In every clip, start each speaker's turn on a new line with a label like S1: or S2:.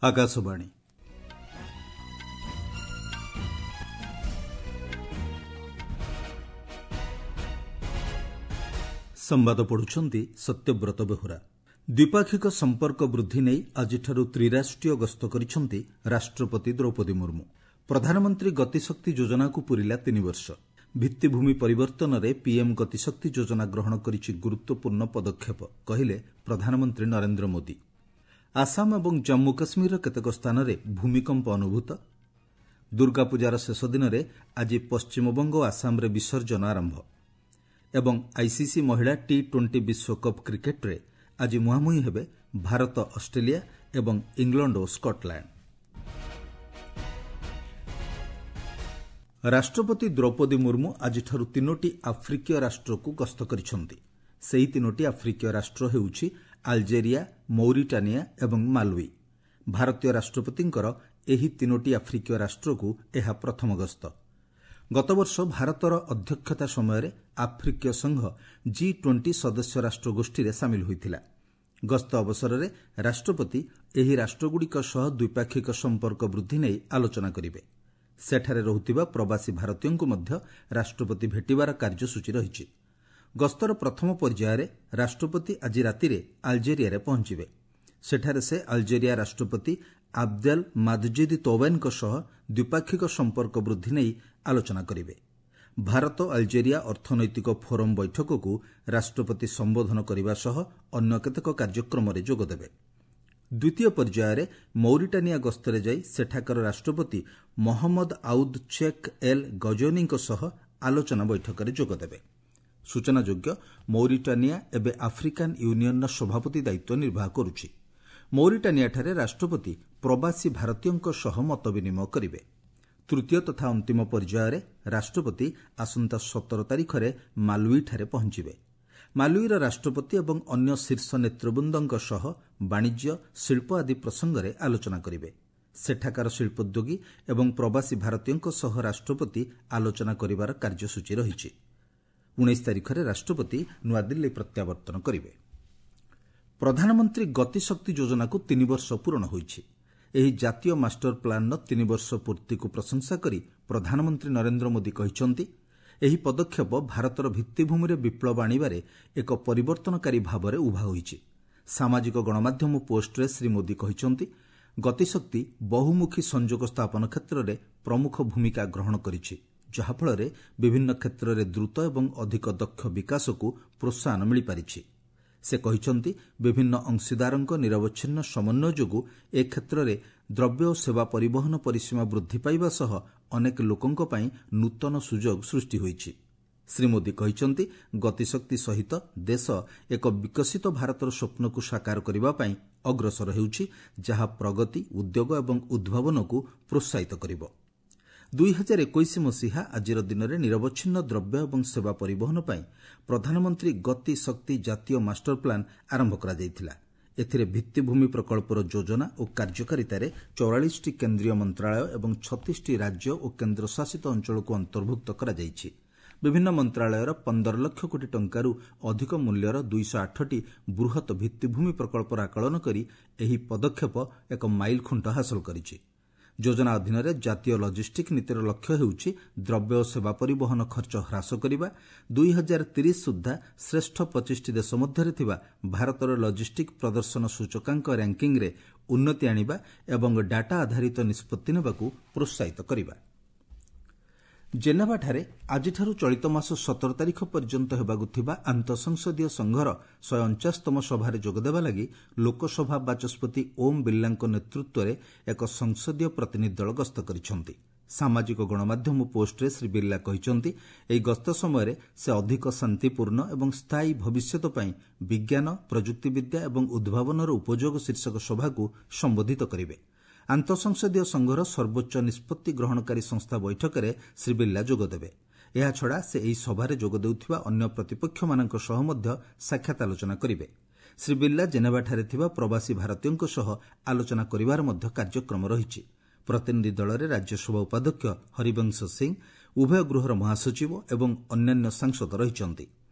S1: ଆକାଶବାଣୀ। ସମ୍ବାଦ ପଢୁଛନ୍ତି ସତ୍ୟବ୍ରତ ବେହୁରା। ଦ୍ୱିପାକ୍ଷିକ ସମ୍ପର୍କ ବୃଦ୍ଧି ନେଇ ଆଜିଠାରୁ ତ୍ରିରାଷ୍ଟ୍ରୀୟ ଗସ୍ତ କରିଛନ୍ତି ରାଷ୍ଟ୍ରପତି ଦ୍ରୌପଦୀ ମୁର୍ମୁ। ପ୍ରଧାନମନ୍ତ୍ରୀ ଗତିଶକ୍ତି ଯୋଜନାକୁ ପୂରିଲା 3 ବର୍ଷ। ଭିତ୍ତିଭୂମି ପରିବର୍ତ୍ତନରେ ପିଏମ୍ ଗତିଶକ୍ତି ଯୋଜନା ଗ୍ରହଣ କରିଛି ଗୁରୁତ୍ୱପୂର୍ଣ୍ଣ ପଦକ୍ଷେପ, କହିଲେ ପ୍ରଧାନମନ୍ତ୍ରୀ ନରେନ୍ଦ୍ର ମୋଦି। ଆସାମ ଏବଂ ଜମ୍ମୁ କାଶ୍ମୀରର କେତେକ ସ୍ଥାନରେ ଭୂମିକମ୍ପ ଅନୁଭୂତ। ଦୁର୍ଗାପୂଜାର ଶେଷ ଦିନରେ ଆଜି ପଶ୍ଚିମବଙ୍ଗ ଓ ଆସାମରେ ବିସର୍ଜନ ଆରମ୍ଭ। ଏବଂ ଆଇସିସି ମହିଳା ଟି-20 ବିଶ୍ୱକପ୍ କ୍ରିକେଟ୍ରେ ଆଜି ମୁହାଁମୁହିଁ ହେବେ ଭାରତ ଅଷ୍ଟ୍ରେଲିଆ ଏବଂ ଇଂଲଣ୍ଡ ଓ ସ୍କଟଲ୍ୟାଣ୍ଡ। ରାଷ୍ଟ୍ରପତି ଦ୍ରୌପଦୀ ମୁର୍ମୁ ଆଜିଠାରୁ 3ଟି ଆଫ୍ରିକୀୟ ରାଷ୍ଟ୍ରକୁ ଗସ୍ତ କରିଛନ୍ତି। ସେହି 3ଟି ଆଫ୍ରିକୀୟ ରାଷ୍ଟ୍ର ହେଉଛି ଆଲଜେରିଆ, ମୌରିଟାନିଆ ଏବଂ ମାଲୱି। ଭାରତୀୟ ରାଷ୍ଟ୍ରପତିଙ୍କର ଏହି 3ଟି ଆଫ୍ରିକୀୟ ରାଷ୍ଟ୍ରକୁ ଏହା ପ୍ରଥମ ଗସ୍ତ। ଗତବର୍ଷ ଭାରତର ଅଧ୍ୟକ୍ଷତା ସମୟରେ ଆଫ୍ରିକୀୟ ସଂଘ ଜି-20 ସଦସ୍ୟ ରାଷ୍ଟ୍ର ଗୋଷ୍ଠୀରେ ସାମିଲ ହୋଇଥିଲା। ଗସ୍ତ ଅବସରରେ ରାଷ୍ଟ୍ରପତି ଏହି ରାଷ୍ଟ୍ରଗୁଡ଼ିକ ସହ ଦ୍ୱିପାକ୍ଷିକ ସମ୍ପର୍କ ବୃଦ୍ଧି ନେଇ ଆଲୋଚନା କରିବେ। ସେଠାରେ ରହୁଥିବା ପ୍ରବାସୀ ଭାରତୀୟଙ୍କୁ ମଧ୍ୟ ରାଷ୍ଟ୍ରପତି ଭେଟିବାର କାର୍ଯ୍ୟସୂଚୀ ରହିଛି। ଗସ୍ତର ପ୍ରଥମ ପର୍ଯ୍ୟାୟରେ ରାଷ୍ଟ୍ରପତି ଆଜି ରାତିରେ ଆଲଜେରିଆରେ ପହଞ୍ଚିବେ। ସେଠାରେ ସେ ଆଲଜେରିଆ ରାଷ୍ଟ୍ରପତି ଆବଦେଲ ମାଦଜିଦ୍ ତୌବେନଙ୍କ ସହ ଦ୍ୱିପାକ୍ଷିକ ସମ୍ପର୍କ ବୃଦ୍ଧି ନେଇ ଆଲୋଚନା କରିବେ। ଭାରତ ଆଲଜେରିଆ ଅର୍ଥନୈତିକ ଫୋରମ୍ ବୈଠକକୁ ରାଷ୍ଟ୍ରପତି ସମ୍ବୋଧନ କରିବା ସହ ଅନ୍ୟ କେତେକ କାର୍ଯ୍ୟକ୍ରମରେ ଯୋଗଦେବେ। ଦ୍ୱିତୀୟ ପର୍ଯ୍ୟାୟରେ ମୌରିଟାନିଆ ଗସ୍ତରେ ଯାଇ ସେଠାକାର ରାଷ୍ଟ୍ରପତି ମହମ୍ମଦ ଆଉଦ୍ ଚେକ୍ ଏଲ୍ ଗଜୋନିଙ୍କ ସହ ଆଲୋଚନା ବୈଠକରେ ଯୋଗଦେବେ। ସୂଚନାଯୋଗ୍ୟ, ମୌରିଟାନିଆ ଏବେ ଆଫ୍ରିକାନ୍ ୟୁନିୟନର ସଭାପତି ଦାୟିତ୍ୱ ନିର୍ବାହ କରୁଛି। ମୌରିଟାନିଆଠାରେ ରାଷ୍ଟ୍ରପତି ପ୍ରବାସୀ ଭାରତୀୟଙ୍କ ସହ ମତ ବିନିମୟ କରିବେ। ତୃତୀୟ ତଥା ଅନ୍ତିମ ପର୍ଯ୍ୟାୟରେ ରାଷ୍ଟ୍ରପତି ଆସନ୍ତା 17 ତାରିଖରେ ମାଲୱିଠାରେ ପହଞ୍ଚିବେ। ମାଲୱିର ରାଷ୍ଟ୍ରପତି ଏବଂ ଅନ୍ୟ ଶୀର୍ଷ ନେତୃବୃନ୍ଦଙ୍କ ସହ ବାଣିଜ୍ୟ, ଶିଳ୍ପ ଆଦି ପ୍ରସଙ୍ଗରେ ଆଲୋଚନା କରିବେ। ସେଠାକାର ଶିଳ୍ପୋଦ୍ୟୋଗୀ ଏବଂ ପ୍ରବାସୀ ଭାରତୀୟଙ୍କ ସହ ରାଷ୍ଟ୍ରପତି ଆଲୋଚନା କରିବାର କାର୍ଯ୍ୟସୂଚୀ ରହିଛି। 19 ତାରିଖରେ ରାଷ୍ଟ୍ରପତି ନୂଆଦିଲ୍ଲୀ ପ୍ରତ୍ୟାବର୍ତ୍ତନ କରିବେ। ପ୍ରଧାନମନ୍ତ୍ରୀ ଗତିଶକ୍ତି ଯୋଜନାକୁ 3 ବର୍ଷ ପୂରଣ ହୋଇଛି। ଏହି ଜାତୀୟ ମାଷ୍ଟର ପ୍ଲାନ୍ର 3 ବର୍ଷ ପୂର୍ତ୍ତିକୁ ପ୍ରଶଂସା କରି ପ୍ରଧାନମନ୍ତ୍ରୀ ନରେନ୍ଦ୍ର ମୋଦି କହିଛନ୍ତି, ଏହି ପଦକ୍ଷେପ ଭାରତର ଭିତ୍ତିଭୂମିରେ ବିପ୍ଳବ ଆଣିବାରେ ଏକ ପରିବର୍ତ୍ତନକାରୀ ଭାବରେ ଉଭା ହୋଇଛି। ସାମାଜିକ ଗଣମାଧ୍ୟମ ପୋଷ୍ଟରେ ଶ୍ରୀ ମୋଦି କହିଛନ୍ତି, ଗତିଶକ୍ତି ବହୁମୁଖୀ ସଂଯୋଗ ସ୍ଥାପନ କ୍ଷେତ୍ରରେ ପ୍ରମୁଖ ଭୂମିକା ଗ୍ରହଣ କରିଛି, ଯାହାଫଳରେ ବିଭିନ୍ନ କ୍ଷେତ୍ରରେ ଦ୍ରୁତ ଏବଂ ଅଧିକ ଦକ୍ଷ ବିକାଶକୁ ପ୍ରୋତ୍ସାହନ ମିଳିପାରିଛି। ସେ କହିଛନ୍ତି, ବିଭିନ୍ନ ଅଂଶୀଦାରଙ୍କ ନିରବଚ୍ଛିନ୍ନ ସମନ୍ୱୟ ଯୋଗୁଁ ଏ କ୍ଷେତ୍ରରେ ଦ୍ରବ୍ୟ ଓ ସେବା ପରିବହନ ପରିସୀମା ବୃଦ୍ଧି ପାଇବା ସହ ଅନେକ ଲୋକଙ୍କ ପାଇଁ ନୂତନ ସୁଯୋଗ ସୃଷ୍ଟି ହୋଇଛି। ଶ୍ରୀ ମୋଦି କହିଛନ୍ତି, ଗତିଶକ୍ତି ସହିତ ଦେଶ ଏକ ବିକଶିତ ଭାରତର ସ୍ୱପ୍ନକୁ ସାକାର କରିବା ପାଇଁ ଅଗ୍ରସର ହେଉଛି, ଯାହା ପ୍ରଗତି, ଉଦ୍ୟୋଗ ଏବଂ ଉଦ୍ଭାବନକୁ ପ୍ରୋତ୍ସାହିତ କରିବ। 2021 ମସିହା ଆଜିର ଦିନରେ ନିରବଚ୍ଛିନ୍ନ ଦ୍ରବ୍ୟ ଏବଂ ସେବା ପରିବହନ ପାଇଁ ପ୍ରଧାନମନ୍ତ୍ରୀ ଗତି ଶକ୍ତି ଜାତୀୟ ମାଷ୍ଟର ପ୍ଲାନ୍ ଆରମ୍ଭ କରାଯାଇଥିଲା। ଏଥିରେ ଭିତ୍ତିଭୂମି ପ୍ରକଳ୍ପର ଯୋଜନା ଓ କାର୍ଯ୍ୟକାରିତାରେ 44ଟି କେନ୍ଦ୍ରୀୟ ମନ୍ତ୍ରଣାଳୟ ଏବଂ 36ଟି ରାଜ୍ୟ ଓ କେନ୍ଦ୍ରଶାସିତ ଅଞ୍ଚଳକୁ ଅନ୍ତର୍ଭୁକ୍ତ କରାଯାଇଛି। ବିଭିନ୍ନ ମନ୍ତ୍ରଣାଳୟର 15 ଲକ୍ଷ କୋଟି ଟଙ୍କାରୁ ଅଧିକ ମୂଲ୍ୟର 208ଟି ବୃହତ୍ ଭିତ୍ତିଭୂମି ପ୍ରକଳ୍ପର ଆକଳନ କରି ଏହି ପଦକ୍ଷେପ ଏକ ମାଇଲଖୁଣ୍ଟ ହାସଲ କରିଛି। ଯୋଜନା ଅଧୀନରେ ଜାତୀୟ ଲଜିଷ୍ଟିକ୍ ନୀତିର ଲକ୍ଷ୍ୟ ହେଉଛି ଦ୍ରବ୍ୟ ଓ ସେବା ପରିବହନ ଖର୍ଚ୍ଚ ହ୍ରାସ କରିବା, 2030 ସୁଦ୍ଧା ଶ୍ରେଷ୍ଠ 25ଟି ଦେଶ ମଧ୍ୟରେ ଥିବା ଭାରତର ଲଜିଷ୍ଟିକ୍ ପ୍ରଦର୍ଶନ ସୂଚକାଙ୍କ ର୍ୟାଙ୍କିଙ୍ଗ୍ରେ ଉନ୍ନତି ଆଣିବା ଏବଂ ଡାଟା ଆଧାରିତ ନିଷ୍ପତ୍ତି ନେବାକୁ ପ୍ରୋତ୍ସାହିତ କରିବା। ଜେନେଭାଠାରେ ଆଜିଠାରୁ ଚଳିତ ମାସ 17 ତାରିଖ ପର୍ଯ୍ୟନ୍ତ ହେବାକୁ ଥିବା ଆନ୍ତଃସଂସଦୀୟ ସଂଘର 149ତମ ସଭାରେ ଯୋଗଦେବା ଲାଗି ଲୋକସଭା ବାଚସ୍ପତି ଓମ୍ ବିର୍ଲାଙ୍କ ନେତୃତ୍ୱରେ ଏକ ସଂସଦୀୟ ପ୍ରତିନିଧି ଦଳ ଗସ୍ତ କରିଛନ୍ତି। ସାମାଜିକ ଗଣମାଧ୍ୟମ ପୋଷ୍ଟରେ ଶ୍ରୀ ବିର୍ଲା କହିଛନ୍ତି, ଏହି ଗସ୍ତ ସମୟରେ ସେ ଅଧିକ ଶାନ୍ତିପୂର୍ଣ୍ଣ ଏବଂ ସ୍ଥାୟୀ ଭବିଷ୍ୟତ ପାଇଁ ବିଜ୍ଞାନ, ପ୍ରଯୁକ୍ତିବିଦ୍ୟା ଏବଂ ଉଦ୍ଭାବନର ଉପଯୋଗ ଶୀର୍ଷକ ସଭାକୁ ସମ୍ବୋଧିତ କରିବେ। ଆନ୍ତଃସଂସଦୀୟ ସଂଘର ସର୍ବୋଚ୍ଚ ନିଷ୍ପତ୍ତି ଗ୍ରହଣକାରୀ ସଂସ୍ଥା ବୈଠକରେ ଶ୍ରୀ ବିର୍ଲା ଯୋଗଦେବେ। ଏହାଛଡ଼ା ସେ ଏହି ସଭାରେ ଯୋଗ ଦେଉଥିବା ଅନ୍ୟ ପ୍ରତିପକ୍ଷମାନଙ୍କ ସହ ମଧ୍ୟ ସାକ୍ଷାତ ଆଲୋଚନା କରିବେ। ଶ୍ରୀ ବିର୍ଲା ଜେନେଭାଠାରେ ଥିବା ପ୍ରବାସୀ ଭାରତୀୟଙ୍କ ସହ ଆଲୋଚନା କରିବାର ମଧ୍ୟ କାର୍ଯ୍ୟକ୍ରମ ରହିଛି। ପ୍ରତିନିଧି ଦଳରେ ରାଜ୍ୟସଭା ଉପାଧ୍ୟକ୍ଷ ହରିବଂଶ ସିଂ, ଉଭୟ ଗୃହର ମହାସଚିବ ଏବଂ ଅନ୍ୟାନ୍ୟ ସାଂସଦ ରହିଛନ୍ତି।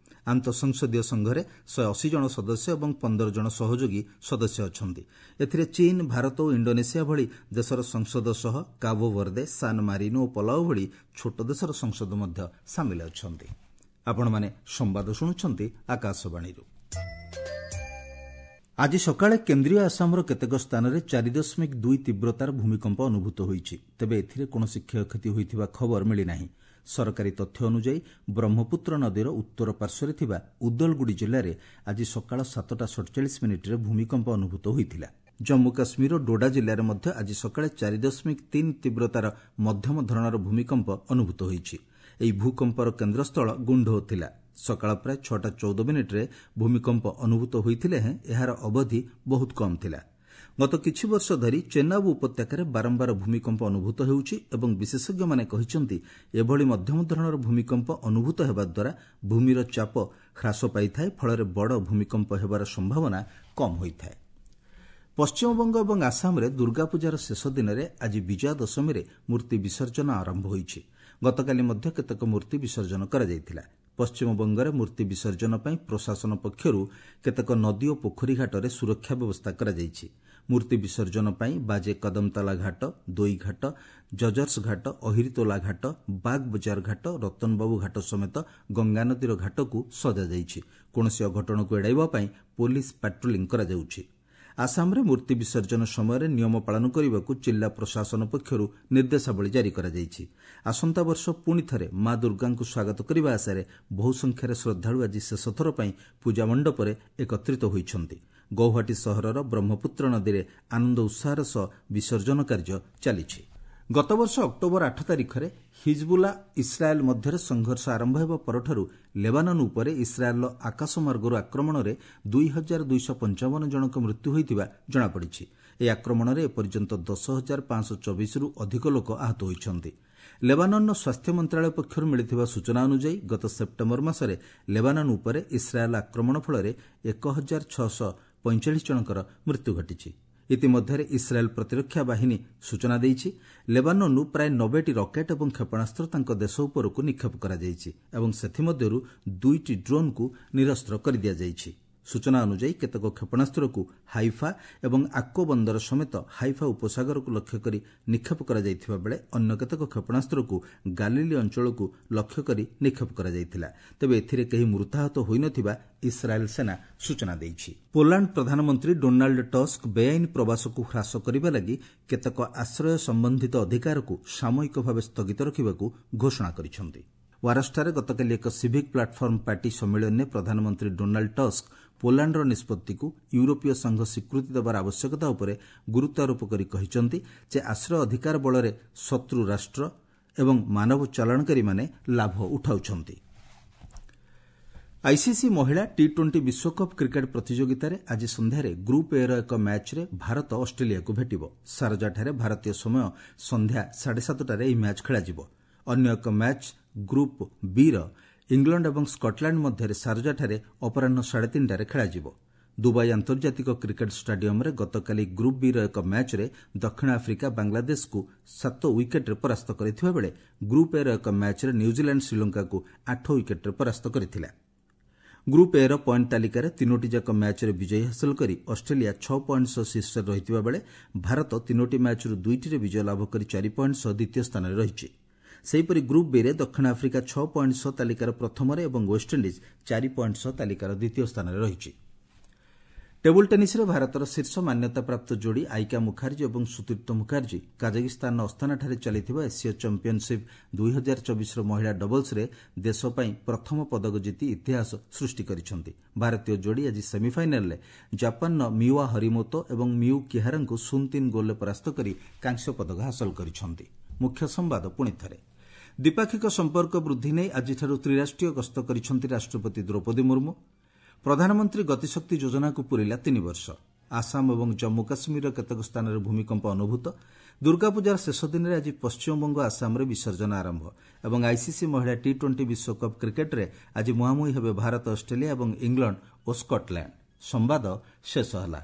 S1: ଆନ୍ତଃ ସଂସଦୀୟ ସଂଘରେ 180 ଜଣ ସଦସ୍ୟ ଏବଂ 15 ଜଣ ସହଯୋଗୀ ସଦସ୍ୟ ଅଛନ୍ତି। ଏଥିରେ ଚୀନ୍, ଭାରତ ଓ ଇଣ୍ଡୋନେସିଆ ଭଳି ଦେଶର ସଂସଦ ସହ କାବୋ ଭର୍ଦେ, ସାନ୍ ମାରିନୋ ଓ ପଲାଉ ଭଳି ଛୋଟ ଦେଶର ସଂସଦ ମଧ୍ୟ ସାମିଲ ଅଛନ୍ତି। ଆପଣମାନେ ସମ୍ବାଦ ଶୁଣୁଛନ୍ତି ଆକାଶବାଣୀରୁ। ଆଜି ସକାଳେ କେନ୍ଦ୍ରୀୟ ଆସାମର କେତେକ ସ୍ଥାନରେ 4.2 ତୀବ୍ରତାର ଭୂମିକମ୍ପ ଅନୁଭୂତ ହୋଇଛି। ତେବେ ଏଥିରେ କୌଣସି କ୍ଷୟକ୍ଷତି ହୋଇଥିବା ଖବର ମିଳିନାହିଁ। ସରକାରୀ ତଥ୍ୟ ଅନୁଯାୟୀ ବ୍ରହ୍ମପୁତ୍ର ନଦୀର ଉତ୍ତର ପାର୍ଶ୍ୱରେ ଥିବା ଉଦଲଗୁଡ଼ି ଜିଲ୍ଲାରେ ଆଜି ସକାଳ 7ଟା 47 ମିନିଟ୍ରେ ଭୂମିକମ୍ପ ଅନୁଭୂତ ହୋଇଥିଲା। ଜମ୍ମୁ କାଶ୍ମୀରର ଡୋଡା ଜିଲ୍ଲାରେ ମଧ୍ୟ ଆଜି ସକାଳେ 4.3 ତୀବ୍ରତାର ମଧ୍ୟମ ଧରଣର ଭୂମିକମ୍ପ ଅନୁଭୂତ ହୋଇଛି। ଏହି ଭୂକମ୍ପର କେନ୍ଦ୍ରସ୍ଥଳ ଗୁଣ୍ଡୋ ଥିଲା। ସକାଳ ପ୍ରାୟ 6ଟା 14 ମିନିଟ୍ରେ ଭୂମିକମ୍ପ ଅନୁଭୂତ ହୋଇଥିଲେ ହେଁ ଏହାର ଅବଧି ବହୁତ କମ୍ ଥିଲା। ଗତ କିଛି ବର୍ଷ ଧରି ଚେନାବ ଉପତ୍ୟକାରେ ବାରମ୍ବାର ଭୂମିକମ୍ପ ଅନୁଭୂତ ହେଉଛି ଏବଂ ବିଶେଷଜ୍ଞମାନେ କହିଛନ୍ତି, ଏଭଳି ମଧ୍ୟମ ଧରଣର ଭୂମିକମ୍ପ ଅନୁଭୂତ ହେବା ଦ୍ୱାରା ଭୂମିର ଚାପ ହ୍ରାସ ପାଇଥାଏ, ଫଳରେ ବଡ଼ ଭୂମିକମ୍ପ ହେବାର ସମ୍ଭାବନା କମ୍ ହୋଇଥାଏ। ପଶ୍ଚିମବଙ୍ଗ ଏବଂ ଆସାମରେ ଦୁର୍ଗାପୂଜାର ଶେଷ ଦିନରେ ଆଜି ବିଜୟା ଦଶମୀରେ ମୂର୍ତ୍ତି ବିସର୍ଜନ ଆରମ୍ଭ ହୋଇଛି। ଗତକାଲି ମଧ୍ୟ କେତେକ ମୂର୍ତ୍ତି ବିସର୍ଜନ କରାଯାଇଥିଲା। ପଶ୍ଚିମବଙ୍ଗରେ ମୂର୍ତ୍ତି ବିସର୍ଜନ ପାଇଁ ପ୍ରଶାସନ ପକ୍ଷରୁ କେତେକ ନଦୀ ଓ ପୋଖରୀ ଘାଟରେ ସୁରକ୍ଷା ବ୍ୟବସ୍ଥା କରାଯାଇଛି। ମୂର୍ତ୍ତି ବିସର୍ଜନ ପାଇଁ ବାଜେ କଦମତାଲା ଘାଟ, ଦୋଇଘାଟ, ଜଜର୍ସ ଘାଟ, ଅହିରିତୋଲା ଘାଟ, ବାଗ୍ ବଜାର ଘାଟ, ରତନବାବୁ ଘାଟ ସମେତ ଗଙ୍ଗାନଦୀର ଘାଟକୁ ସଜାଯାଇଛି। କୌଣସି ଅଘଟଣକୁ ଏଡ଼ାଇବା ପାଇଁ ପୋଲିସ ପାଟ୍ରୋଲିଂ କରାଯାଉଛି। ଆସାମରେ ମୂର୍ତ୍ତି ବିସର୍ଜନ ସମୟରେ ନିୟମ ପାଳନ କରିବାକୁ ଜିଲ୍ଲା ପ୍ରଶାସନ ପକ୍ଷରୁ ନିର୍ଦ୍ଦେଶାବଳୀ ଜାରି କରାଯାଇଛି। ଆସନ୍ତା ବର୍ଷ ପୁଣି ଥରେ ମା ଦୁର୍ଗାଙ୍କୁ ସ୍ୱାଗତ କରିବା ଆଶାରେ ବହୁ ସଂଖ୍ୟାରେ ଶ୍ରଦ୍ଧାଳୁ ଆଜି ଶେଷଥର ପାଇଁ ପୂଜା ମଣ୍ଡପରେ ଏକତ୍ରିତ ହୋଇଛନ୍ତି। ଗୌହାଟୀ ସହରର ବ୍ରହ୍ମପୁତ୍ର ନଦୀରେ ଆନନ୍ଦ ଉତ୍ସାହର ସହ ବିସର୍ଜନ କାର୍ଯ୍ୟ ଚାଲିଛି। ଗତବର୍ଷ ଅକ୍ଟୋବର 8 ତାରିଖରେ ହିଜବୁଲା ଇସ୍ରାଏଲ୍ ମଧ୍ୟରେ ସଂଘର୍ଷ ଆରମ୍ଭ ହେବା ପରଠାରୁ ଲେବାନନ୍ ଉପରେ ଇସ୍ରାଏଲ୍ର ଆକାଶମାର୍ଗରୁ ଆକ୍ରମଣରେ 2255 ଜଣଙ୍କ ମୃତ୍ୟୁ ହୋଇଥିବା ଜଣାପଡ଼ିଛି। ଏହି ଆକ୍ରମଣରେ ଏପର୍ଯ୍ୟନ୍ତ 10,524ରୁ ଅଧିକ ଲୋକ ଆହତ ହୋଇଛନ୍ତି। ଲେବାନନ୍ର ସ୍ୱାସ୍ଥ୍ୟ ମନ୍ତ୍ରଣାଳୟ ପକ୍ଷରୁ ମିଳିଥିବା ସୂଚନା ଅନୁଯାୟୀ ଗତ ସେପ୍ଟେମ୍ବର ମାସରେ ଲେବାନନ୍ ଉପରେ ଇସ୍ରାଏଲ୍ ଆକ୍ରମଣ ଫଳରେ 1645 ଜଣଙ୍କର ମୃତ୍ୟୁ ଘଟିଛି। ଇତିମଧ୍ୟରେ ଇସ୍ରାଏଲ୍ ପ୍ରତିରକ୍ଷା ବାହିନୀ ସୂଚନା ଦେଇଛି, ଲେବାନନ୍ରୁ ପ୍ରାୟ 90ଟି ରକେଟ୍ ଏବଂ କ୍ଷେପଣାସ୍ତ୍ର ତାଙ୍କ ଦେଶ ଉପରକୁ ନିକ୍ଷେପ କରାଯାଇଛି ଏବଂ ସେଥିମଧ୍ୟରୁ ଦୁଇଟି ଡ୍ରୋନ୍କୁ ନିରସ୍ତ୍ର କରିଦିଆଯାଇଛି। ସୂଚନା ଅନୁଯାୟୀ କେତେକ କ୍ଷେପଣାସ୍ତ୍ରକୁ ହାଇଫା ଏବଂ ଆକ୍କୋ ବନ୍ଦର ସମେତ ହାଇଫା ଉପସାଗରକୁ ଲକ୍ଷ୍ୟ କରି ନିକ୍ଷେପ କରାଯାଇଥିବା ବେଳେ ଅନ୍ୟ କେତେକ କ୍ଷେପଣାସ୍ତ୍ରକୁ ଗାଲିଲି ଅଞ୍ଚଳକୁ ଲକ୍ଷ୍ୟ କରି ନିକ୍ଷେପ କରାଯାଇଥିଲା। ତେବେ ଏଥିରେ କେହି ମୃତାହତ ହୋଇନଥିବା ଇସ୍ରାଏଲ୍ ସେନା ସୂଚନା ଦେଇଛି। ପୋଲାଣ୍ଡ ପ୍ରଧାନମନ୍ତ୍ରୀ ଡୋନାଲ୍ଡ ଟସ୍କ ବେଆଇନ ପ୍ରବାସକୁ ହ୍ରାସ କରିବା ଲାଗି କେତେକ ଆଶ୍ରୟ ସମ୍ବନ୍ଧିତ ଅଧିକାରକୁ ସାମୟିକ ଭାବେ ସ୍ଥଗିତ ରଖିବାକୁ ଘୋଷଣା କରିଛନ୍ତି। ୱାରସଠାରେ ଗତକାଲି ଏକ ସିଭିକ୍ ପ୍ଲାଟଫର୍ମ ପାର୍ଟି ସମ୍ମିଳନୀରେ ପ୍ରଧାନମନ୍ତ୍ରୀ ଡୋନାଲ୍ଡ ଟସ୍କ ପୋଲାଣ୍ଡର ନିଷ୍ପତ୍ତିକୁ ୟୁରୋପୀୟ ସଂଘ ସ୍ୱୀକୃତି ଦେବାର ଆବଶ୍ୟକତା ଉପରେ ଗୁରୁତ୍ୱାରୋପ କରି କହିଛନ୍ତି ଯେ ଆଶ୍ରୟ ଅଧିକାର ବଳରେ ଶତ୍ରୁ ରାଷ୍ଟ୍ର ଏବଂ ମାନବ ଚାଲାଣକାରୀମାନେ ଲାଭ ଉଠାଉଛନ୍ତି। ଆଇସିସି ମହିଳା ଟି ଟ୍ୱେଣ୍ଟି ବିଶ୍ୱକପ୍ କ୍ରିକେଟ୍ ପ୍ରତିଯୋଗିତାରେ ଆଜି ସନ୍ଧ୍ୟାରେ ଗ୍ରୁପ୍ ଏର ଏକ ମ୍ୟାଚ୍ରେ ଭାରତ ଅଷ୍ଟ୍ରେଲିଆକୁ ଭେଟିବ। ସାରଜାଠାରେ ଭାରତୀୟ ସମୟ ସନ୍ଧ୍ୟା 7:30ଟାରେ ଏହି ମ୍ୟାଚ୍ ଖେଳାଯିବ। ଅନ୍ୟ ଏକ ମ୍ୟାଚ୍ ଗ୍ରୁପ୍ ବିର ଇଂଲଣ୍ଡ ଏବଂ ସ୍କଟଲ୍ୟାଣ୍ଡ ମଧ୍ୟରେ ସାରଜାଠାରେ ଅପରାହ୍ନ 3:30ଟାରେ ଖେଳାଯିବ। ଦୁବାଇ ଆନ୍ତର୍ଜାତିକ କ୍ରିକେଟ୍ ଷ୍ଟାଡିୟମ୍ରେ ଗତକାଲି ଗ୍ରୁପ୍ ବିର ଏକ ମ୍ୟାଚ୍ରେ ଦକ୍ଷିଣ ଆଫ୍ରିକା ବାଂଲାଦେଶକୁ 7 ୱିକେଟ୍ରେ ପରାସ୍ତ କରିଥିବା ବେଳେ ଗ୍ରୁପ୍ ଏର ଏକ ମ୍ୟାଚ୍ରେ ନ୍ୟୁଜିଲାଣ୍ଡ ଶ୍ରୀଲଙ୍କାକୁ 8 ୱିକେଟ୍ରେ ପରାସ୍ତ କରିଥିଲା। ଗ୍ରୁପ୍ ଏର ପଏଣ୍ଟ ତାଲିକାରେ ତିନୋଟି ଯାକ ମ୍ୟାଚ୍ରେ ବିଜୟ ହାସଲ କରି ଅଷ୍ଟ୍ରେଲିଆ 6 ପଏଣ୍ଟ ସହ ଶୀର୍ଷରେ ରହିଥିବା ବେଳେ ଭାରତ ତିନୋଟି ମ୍ୟାଚ୍ରୁ ଦୁଇଟିରେ ବିଜୟ ଲାଭ କରି 4 ପଏଣ୍ଟ ସହ ଦ୍ୱିତୀୟ ସ୍ଥାନରେ ରହିଛି। ସେହିପରି ଗ୍ରୁପ୍ ବିରେ ଦକ୍ଷିଣ ଆଫ୍ରିକା 6 ପଏଣ୍ଟ ସହ ତାଲିକାର ପ୍ରଥମରେ ଏବଂ ୱେଷ୍ଟଇଣ୍ଡିଜ୍ 4 ପଏଣ୍ଟ ସହ ତାଲିକାର ଦ୍ୱିତୀୟ ସ୍ଥାନରେ ରହିଛି। ଟେବୁଲ୍ ଟେନିସ୍ରେ ଭାରତର ଶୀର୍ଷ ମାନ୍ୟତାପ୍ରାପ୍ତ ଯୋଡ଼ି ଆଇକା ମୁଖାର୍ଜୀ ଏବଂ ସୁତୀର୍ଥ ମୁଖାର୍ଜୀ କାଜାକିସ୍ତାନର ଅସ୍ଥାନାଠାରେ ଚାଲିଥିବା ଏସୀୟ ଚାମ୍ପିୟନସିପ୍ 2024ର ମହିଳା ଡବଲ୍ସରେ ଦେଶ ପାଇଁ ପ୍ରଥମ ପଦକ ଜିତି ଇତିହାସ ସୃଷ୍ଟି କରିଛନ୍ତି। ଭାରତୀୟ ଯୋଡ଼ି ଆଜି ସେମିଫାଇନାଲ୍ରେ ଜାପାନର ମିୱା ହରିମୋତୋ ଏବଂ ମିୟୁ କିହାରାଙ୍କୁ 0-3 ଗୋଲ୍ରେ ପରାସ୍ତ କରି କାଂସ୍ୟ ପଦକ ହାସଲ କରିଛନ୍ତି। ମୁଖ୍ୟ ସମ୍ବାଦ ପୁଣି ଥରେ। ଦ୍ୱିପାକ୍ଷିକ ସମ୍ପର୍କ ବୃଦ୍ଧି ନେଇ ଆଜିଠାରୁ ତ୍ରିରାଷ୍ଟ୍ରୀୟ ଗସ୍ତ କରିଛନ୍ତି ରାଷ୍ଟ୍ରପତି ଦ୍ରୌପଦୀ ମୁର୍ମୁ। ପ୍ରଧାନମନ୍ତ୍ରୀ ଗତିଶକ୍ତି ଯୋଜନାକୁ ପୂରିଲା 3 ବର୍ଷ। ଆସାମ ଏବଂ ଜମ୍ମୁ କାଶ୍ମୀରର କେତେକ ସ୍ଥାନରେ ଭୂମିକମ୍ପ ଅନୁଭୂତ। ଦୁର୍ଗାପୂଜାର ଶେଷ ଦିନରେ ଆଜି ପଶ୍ଚିମବଙ୍ଗ, ଆସାମରେ ବିସର୍ଜନ ଆରମ୍ଭ ଏବଂ ଆଇସିସି ମହିଳା ଟି ଟ୍ୱେଣ୍ଟି ବିଶ୍ୱକପ୍ କ୍ରିକେଟ୍ରେ ଆଜି ମୁହାଁମୁହିଁ ହେବେ ଭାରତ ଅଷ୍ଟ୍ରେଲିଆ ଏବଂ ଇଂଲଣ୍ଡ ଓ ସ୍କଟଲ୍ୟାଣ୍ଡ। ସମ୍ବାଦ ଶେଷ ହେଲା।